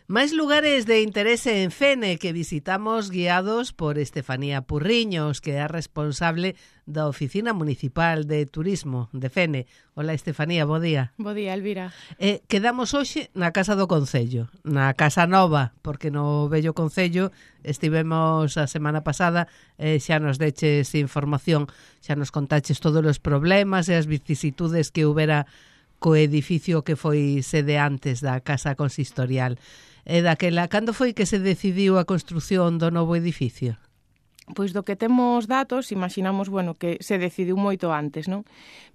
Máis lugares de interese en Fene que visitamos guiados por Estefanía Purriños, que é a responsable da Oficina Municipal de Turismo de Fene. Hola, Estefanía, bo día. Bo día, Elvira. Quedamos hoxe na Casa do Concello, na Casa Nova, porque no vello Concello estivemos a semana pasada, xa nos deches información, xa nos contaches todos os problemas e as vicisitudes que houbera co edificio que foi sede antes da Casa Consistorial. Daquela, cando foi que se decidiu a construción do novo edificio? Pois do que temos datos, imaginamos, que se decidiu moito antes, non?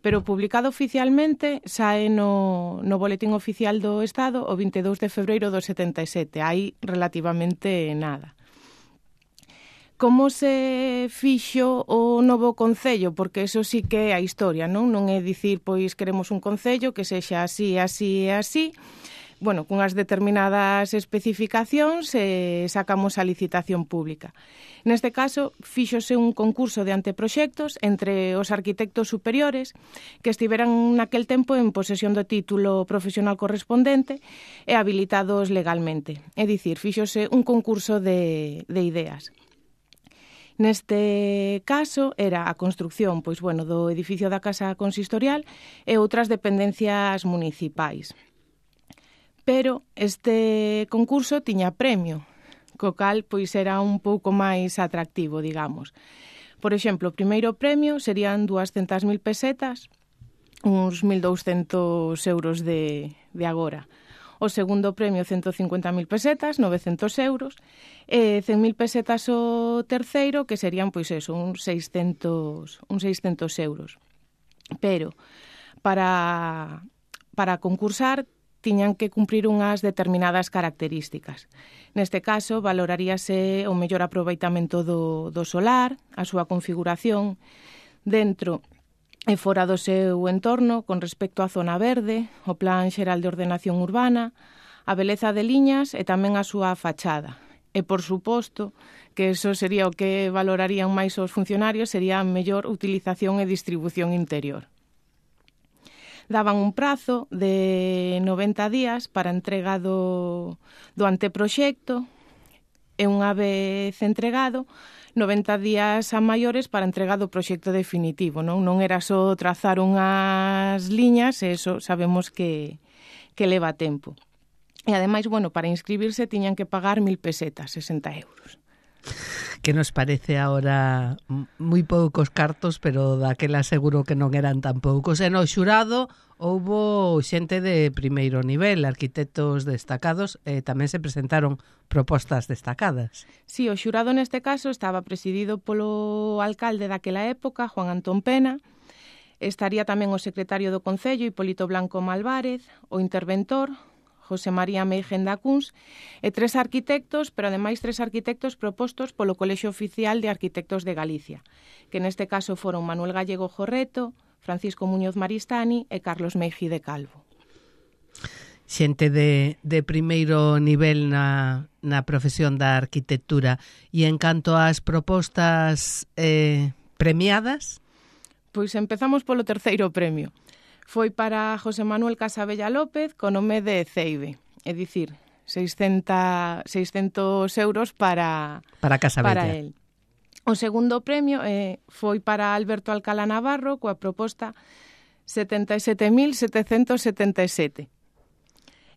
Pero publicado oficialmente sae no Boletín Oficial do Estado o 22 de febreiro do 77, hai relativamente nada. Como se fixo o novo concello? Porque eso sí que é a historia, non? Non é dicir, pois, queremos un concello que sexa así, así e así. Cunhas determinadas especificacións sacamos a licitación pública. Neste caso, fíxose un concurso de anteproxectos entre os arquitectos superiores que estiveran naquel tempo en posesión do título profesional correspondente e habilitados legalmente. É dicir, fíxose un concurso de ideas. Neste caso era a construción do edificio da Casa Consistorial e outras dependencias municipais. Pero este concurso tiña premio, co cal era un pouco máis atractivo, digamos. Por exemplo, o primeiro premio serían 200.000 pesetas, uns 1.200 euros de agora. O segundo premio, 150.000 pesetas, 900 euros, e 100.000 pesetas o terceiro, que serían, uns 600 euros. Pero, para concursar, tiñan que cumprir unhas determinadas características. Neste caso, valoraríase o mellor aproveitamento do solar, a súa configuración dentro e fora do seu entorno con respecto á zona verde, o plan xeral de ordenación urbana, a beleza de liñas e tamén a súa fachada. E, por suposto, que eso sería o que valorarían máis os funcionarios, sería a mellor utilización e distribución interior. Daban un prazo de 90 días para entrega do anteproxecto e unha vez entregado, 90 días a maiores para entrega do proxecto definitivo. Non era só trazar unhas liñas, e eso sabemos que leva tempo. E ademais, para inscribirse tiñan que pagar 1.000 pesetas, 60 euros. Que nos parece ahora moi poucos cartos, pero daquela seguro que non eran tan poucos. E no xurado houbo xente de primeiro nivel, arquitectos destacados, e tamén se presentaron propostas destacadas. Sí, o xurado neste caso estaba presidido polo alcalde daquela época, Juan Antón Pena. Estaría tamén o secretario do Concello, Hipólito Blanco Malvárez, o interventor, José María Meigenda Cuns, e 3 arquitectos, pero ademais 3 arquitectos propostos polo Colexio Oficial de Arquitectos de Galicia, que neste caso foron Manuel Gallego Jorreto, Francisco Muñoz Maristani e Carlos Meiji de Calvo. Xente de primeiro nivel na profesión da arquitectura. E en canto ás propostas premiadas? Pois empezamos polo terceiro premio. Foi para José Manuel Casabella López con nome de Ceibe, é dicir, 600 euros para Casabella. Para él. O segundo premio foi para Alberto Alcalá Navarro coa proposta 77.777.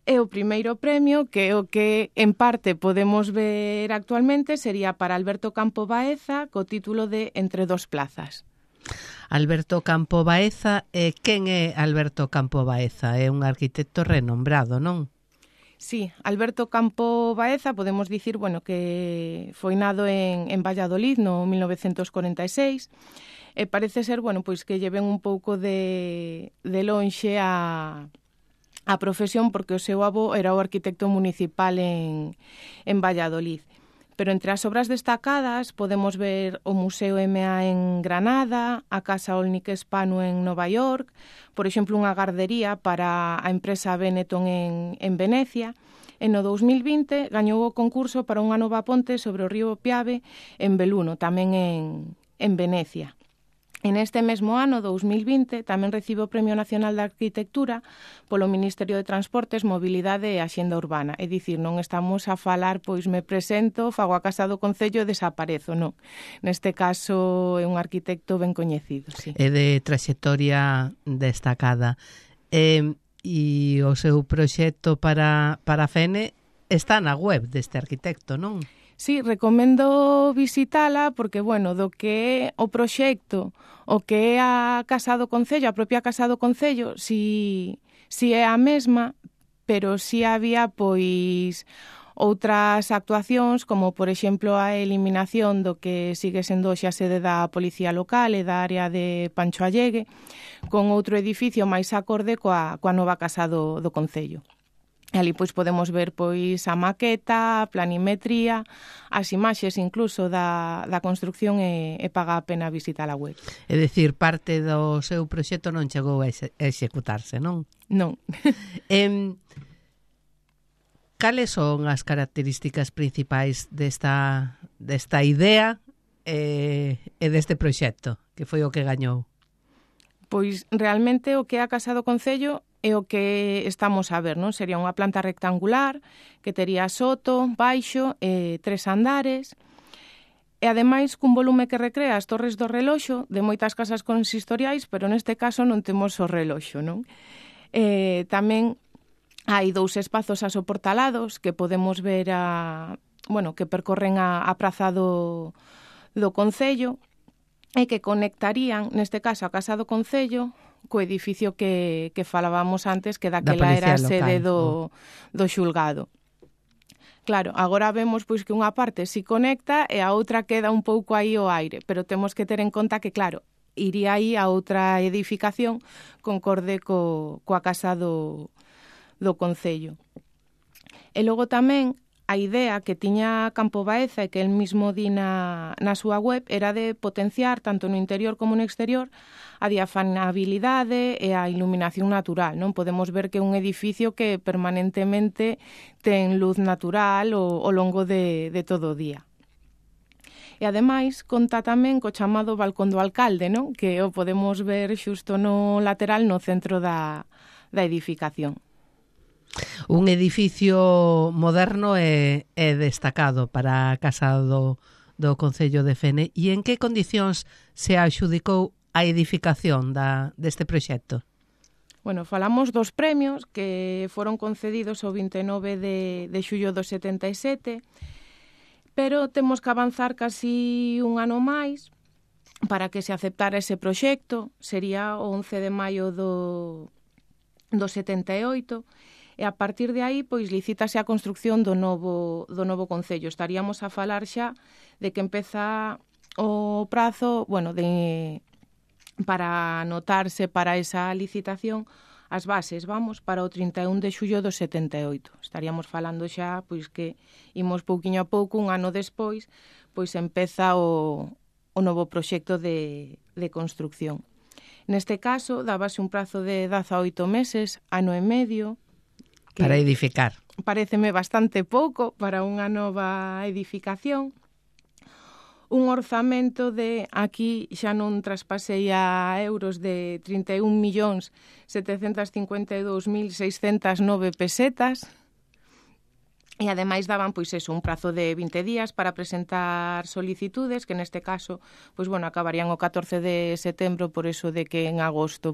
E o primeiro premio, que é o que en parte podemos ver actualmente, sería para Alberto Campo Baeza co título de Entre dos plazas. Alberto Campo Baeza, quen é Alberto Campo Baeza? É un arquitecto renombrado, non? Sí, Alberto Campo Baeza, podemos dicir, que foi nado en Valladolid no 1946, e parece ser, que lle ven un pouco de lonxe a profesión, porque o seu avó era o arquitecto municipal en Valladolid. Pero entre as obras destacadas podemos ver o Museo MA en Granada, a Casa Olnik Spano en Nova York, por exemplo, unha gardería para a empresa Benetton en Venecia. E no 2020 gañou o concurso para unha nova ponte sobre o río Piave en Beluno, tamén en Venecia. En este mesmo ano, 2020, tamén recibe o Premio Nacional de Arquitectura polo Ministerio de Transportes, Mobilidade e Axenda Urbana. É dicir, non estamos a falar, pois me presento, fago a Casa do Concello e desaparezo, non. Neste caso é un arquitecto ben coñecido, sí. É de traxectoria destacada. E o seu proxecto para a FENE está na web deste arquitecto, non? Sí, recomendo visitala porque, bueno, do que é o proxecto, o que é a Casa do Concello, a propia Casa do Concello, si é a mesma, pero si había, pois, outras actuacións, como, por exemplo, a eliminación do que sigue sendo hoxe a sede da Policía Local e da área de Pancho Allegue, con outro edificio máis acorde coa nova Casa do Concello. E ali pois podemos ver pois a maqueta, a planimetría, as imaxes incluso da construcción e paga a pena visitar a web. É dicir, parte do seu proxecto non chegou a executarse, non? Non. Cales son as características principais desta idea e deste proxecto, que foi o que gañou? Pois realmente o que é a Casa do Concello é o que estamos a ver, non? Sería unha planta rectangular que tería soto, baixo e 3 andares. E ademais cun volume que recrea as torres do reloxo de moitas casas consistoriais, pero neste caso non temos o reloxo, non? Tamén hai 2 espazos asoportalados que podemos ver que percorren a praza do Concello e que conectarían, neste caso, a Casa do Concello co edificio que falábamos antes, que daquela era a sede do xulgado. Claro, agora vemos pois que unha parte si conecta e a outra queda un pouco aí ao aire, pero temos que ter en conta que, claro, iría aí a outra edificación concorde coa Casa do Concello. E logo tamén a idea que tiña Campo Baeza e que el mismo di na súa web era de potenciar, tanto no interior como no exterior, a diafanabilidade e a iluminación natural, non? Podemos ver que é un edificio que permanentemente ten luz natural ao longo de todo o día. E ademais conta tamén co chamado balcón do alcalde, non? Que o podemos ver xusto no lateral no centro da edificación. Un edificio moderno e destacado para a Casa do Concello de Fene. E en que condicións se adxudicou a edificación deste proxecto? Bueno, falamos dos premios que foron concedidos o 29 de xullo do 77, pero temos que avanzar casi un ano máis para que se aceptara ese proxecto. Sería o 11 de maio do 78, e a partir de aí pois licítase a construcción do novo concello. Estaríamos a falar xa de que empeza o prazo, para anotarse para esa licitación as bases, para o 31 de xullo do 78. Estaríamos falando xa pois que imos pouquiño a pouco, un ano despois, pois empeza o novo proxecto de construcción. Neste caso, dábase un prazo de 18 meses, ano e medio, para edificar. Paréceme bastante pouco para unha nova edificación. Un orzamento de, aquí xa non traspasei a euros, de 31.752.609 pesetas. E ademais daban un prazo de 20 días para presentar solicitudes, que neste caso, acabarían o 14 de setembro, por eso de que en agosto,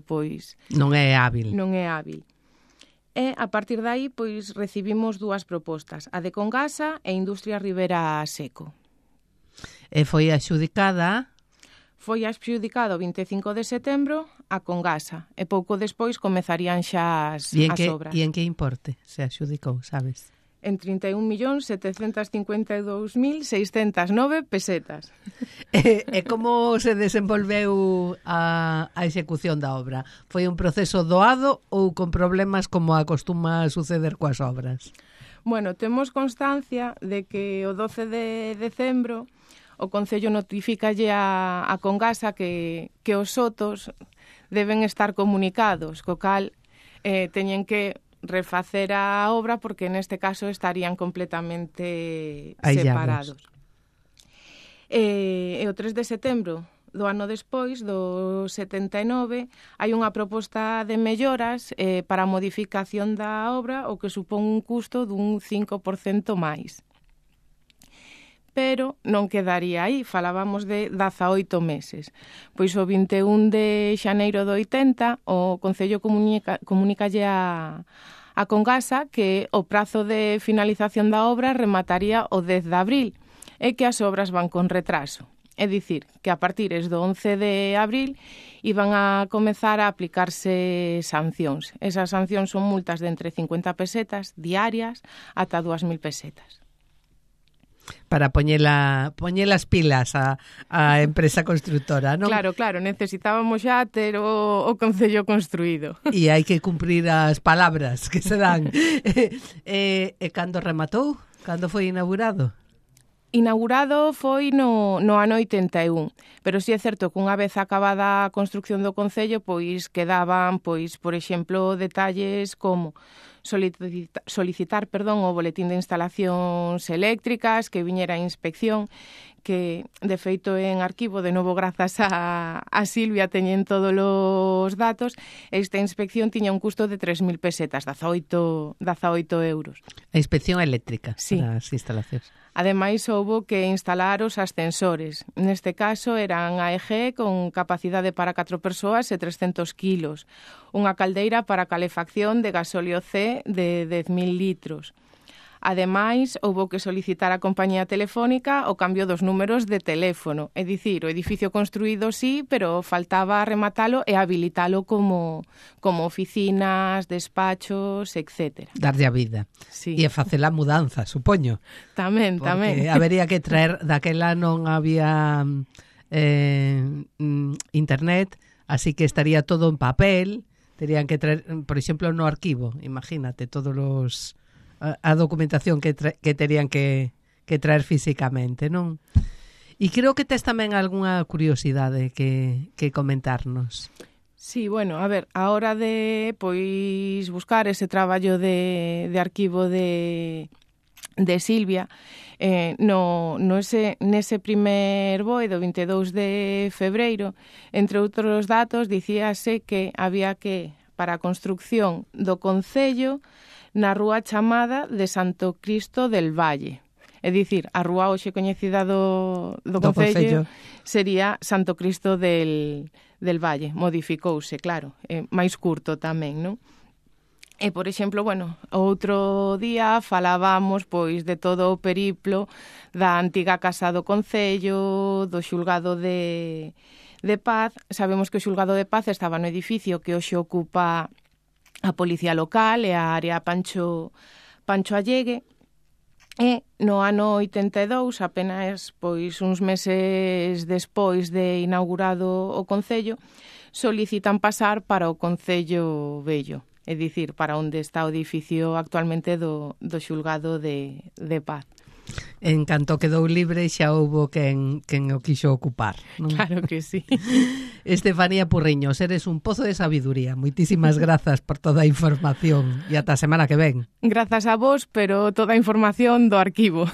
non é hábil. Non é hábil. E, a partir de aí, recibimos 2 propostas, a de Congasa e Industria Ribera Seco. E foi adxudicada? Foi adxudicado o 25 de setembro a Congasa, e pouco despois comezarían xa as obras. E en que importe se adxudicou, sabes? En 31.752.609 pesetas. E como se desenvolveu a execución da obra? Foi un proceso doado ou con problemas como acostuma suceder coas obras? Bueno, temos constancia de que o 12 de decembro o Concello notifícalle a Congasa que os sotos deben estar comunicados, co cal teñen que refacer a obra porque neste caso estarían completamente separados. E o 3 de setembro ano despois, do 79, hai unha proposta de melloras para a modificación da obra, o que supón un custo dun 5% máis. Pero non quedaría aí, falábamos de 18 meses. Pois o 21 de xaneiro do 80, o Concello comunicalle a Congasa que o prazo de finalización da obra remataría o 10 de abril e que as obras van con retraso. É dicir, que a partir do 11 de abril iban a comezar a aplicarse sancións. Esas sancións son multas de entre 50 pesetas diarias ata 2.000 pesetas. Para poñer as pilas a empresa constructora, non? Claro, necesitábamos xa ter o Concello construído. E hai que cumprir as palabras que se dan. E cando rematou? Cando foi inaugurado? Inaugurado foi no ano 81, pero si é certo que unha vez acabada a construcción do Concello, pois quedaban, pois, por exemplo, detalles como solicitar o boletín de instalacións eléctricas, que viñera a inspección, que de feito en arquivo, de novo grazas a Silvia teñen todos os datos. Esta inspección tiña un custo de 3.000 pesetas, 18 euros. A inspección eléctrica, sí, para as instalacións. Ademais, houbo que instalar os ascensores. Neste caso, eran AEG con capacidade para 4 persoas e 300 kilos. Unha caldeira para calefacción de gasóleo C de 10.000 litros. Ademais, houbo que solicitar á compañía telefónica o cambio dos números de teléfono. É dicir, o edificio construído sí, pero faltaba rematalo e habilitalo como oficinas, despachos, etc. Darlle a vida. Sí. E facer a mudanza, supoño. Tamén. Porque habería que traer, daquela non había internet, así que estaría todo en papel. Terían que traer, por exemplo, no arquivo, imagínate, todos os... a documentación que terían que traer físicamente, non? E creo que tes tamén algunha curiosidade que comentarnos. Sí, bueno, a ver, a hora de pois buscar ese traballo de arquivo de Silvia, nese primer BOE do 22 de febreiro, entre outros datos, dicíase que había que, para a construcción do Concello, na rúa chamada de Santo Cristo del Valle. É dicir, a rúa hoxe coñecida do Concello sería Santo Cristo del Valle. Modificouse, claro, máis curto tamén, non? E, por exemplo, bueno, outro día falábamos pois de todo o periplo da antiga Casa do Concello, do Xulgado de Paz. Sabemos que o Xulgado de Paz estaba no edificio que hoxe ocupa a Policía Local e a área Pancho Allegue. E no ano 82, apenas pois uns meses despois de inaugurado o Concello, solicitan pasar para o Concello Vello, é dicir, para onde está o edificio actualmente do Xulgado de Paz. En canto quedou libre xa houbo quen o quixo ocupar, non? Claro que sí. Estefanía Purriños, eres un pozo de sabiduría. Moitísimas grazas por toda a información e ata a semana que ven. Grazas a vos, pero toda a información do arquivo.